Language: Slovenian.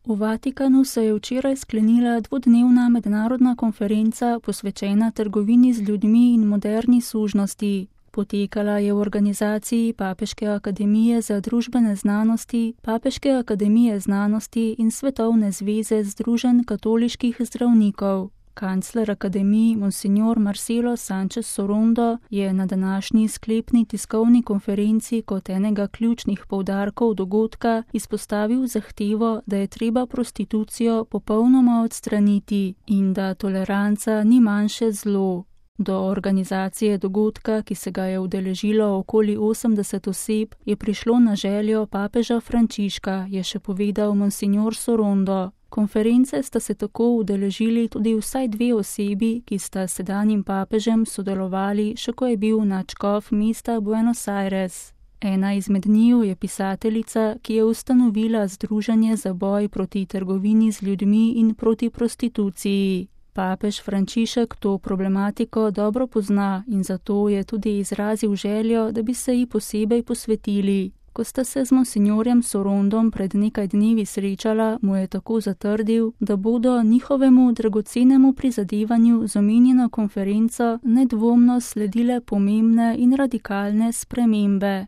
V Vatikanu se je včeraj sklenila dvodnevna mednarodna konferenca posvečena trgovini z ljudmi in moderni sužnosti. Potekala je v organizaciji Papeške akademije za družbene znanosti, Papeške akademije znanosti in Svetovne zveze združenj katoliških zdravnikov. Kancler akademije Monsignor Marcelo Sánchez Sorondo je na današnji sklepni tiskovni konferenci kot enega ključnih poudarkov dogodka izpostavil zahtevo, da je treba prostitucijo popolnoma odstraniti in da toleranca ni manjše zlo. Do organizacije dogodka, ki se ga je udeležilo okoli 80 oseb, je prišlo na željo papeža Frančiška, je še povedal Monsignor Sorondo. Konference sta se tako udeležili tudi vsaj 2 osebi, ki sta s sedanjim papežem sodelovali, še ko je bil nadškof mesta Buenos Aires. Ena izmed njiju je pisateljica, ki je ustanovila Združenje za boj proti trgovini z ljudmi in proti prostituciji. Papež Frančišek to problematiko dobro pozna in zato je tudi izrazil željo, da bi se ji posebej posvetili. Ko sta se z monsignorjem Sorondom pred nekaj dnevi srečala, mu je tako zatrdil, da bodo njihovemu dragocenemu prizadevanju z omenjeno konferenco nedvomno sledile pomembne in radikalne spremembe.